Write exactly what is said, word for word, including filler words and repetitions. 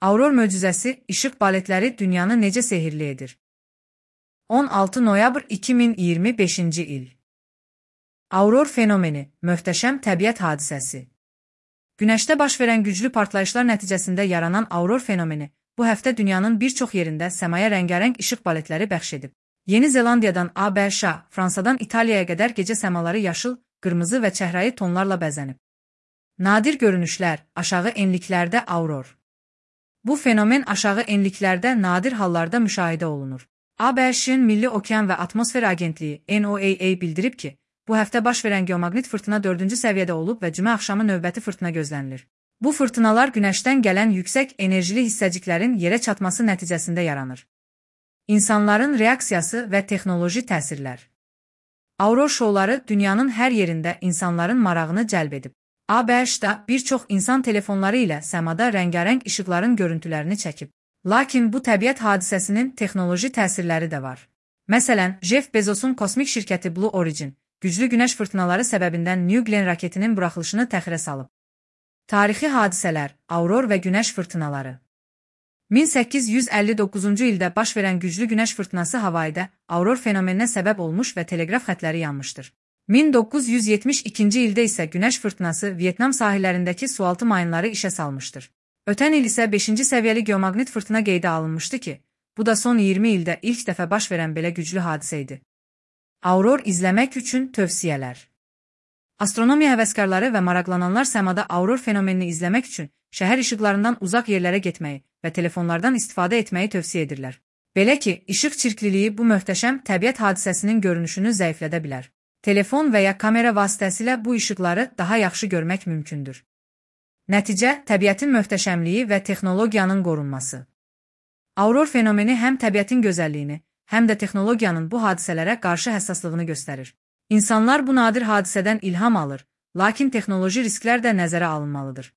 Auror möcüzəsi, işıq baletləri dünyanı necə sehirli edir? on altı noyabr iki min iyirmi beşinci il. Auror fenomeni, möhtəşəm təbiət hadisəsi. Günəşdə baş verən güclü partlayışlar nəticəsində yaranan auror fenomeni, bu həftə dünyanın bir çox yerində səmaya rəngarəng işıq baletləri bəxş edib. Yeni Zelandiyadan ABŞ, Fransadan İtaliyaya qədər gecə səmaları yaşıl, qırmızı və çəhrayı tonlarla bəzənib. Nadir görünüşlər, aşağı enliklərdə auror. Bu fenomen aşağı enliklərdə nadir hallarda müşahidə olunur. ABŞ-ın Milli Okean və Atmosfer Agentliyi N O A A bildirib ki, bu həftə baş verən geomaqnit fırtına dördüncü səviyyədə olub və cümə axşamı növbəti fırtına gözlənilir. Bu fırtınalar günəşdən gələn yüksək enerjili hissəciklərin yerə çatması nəticəsində yaranır. İnsanların reaksiyası və texnoloji təsirlər. Auror şouları dünyanın hər yerində insanların marağını cəlb edib. ABŞ-da bir çox insan telefonları ilə səmada rəngarəng işıqların görüntülərini çəkib. Lakin bu təbiət hadisəsinin texnoloji təsirləri də var. Məsələn, Jeff Bezosun kosmik şirkəti Blue Origin, güclü günəş fırtınaları səbəbindən New Glenn raketinin buraxılışını təxirə salıb. Tarixi hadisələr, auror və günəş fırtınaları. min səkkiz yüz əlli doqquzuncu ildə baş verən güclü günəş fırtınası Havayda auror fenomeninə səbəb olmuş və teleqraf xətləri yanmışdır. min doqquz yüz yetmiş ikinci ildə isə günəş fırtınası Vyetnam sahillərindəki sualtı mayınları işə salmışdır. Ötən il isə beşinci səviyyəli geomaqnit fırtına qeydə alınmışdı ki, bu da son iyirmi ildə ilk dəfə baş verən belə güclü hadisə idi. Auror izləmək üçün tövsiyələr. Astronomiya həvəskarları və maraqlananlar səmada auror fenomenini izləmək üçün şəhər işıqlarından uzaq yerlərə getməyi və telefonlardan istifadə etməyi tövsiyə edirlər. Belə ki, işıq çirkliliyi bu möhtəşəm təbiət hadisəsinin görünüşünü zəiflədə bilər. Telefon və ya kamera vasitəsilə bu işıqları daha yaxşı görmək mümkündür. Nəticə, təbiətin möhtəşəmliyi və texnologiyanın qorunması. Auror fenomeni həm təbiətin gözəlliyini, həm də texnologiyanın bu hadisələrə qarşı həssaslığını göstərir. İnsanlar bu nadir hadisədən ilham alır, lakin texnoloji risklər də nəzərə alınmalıdır.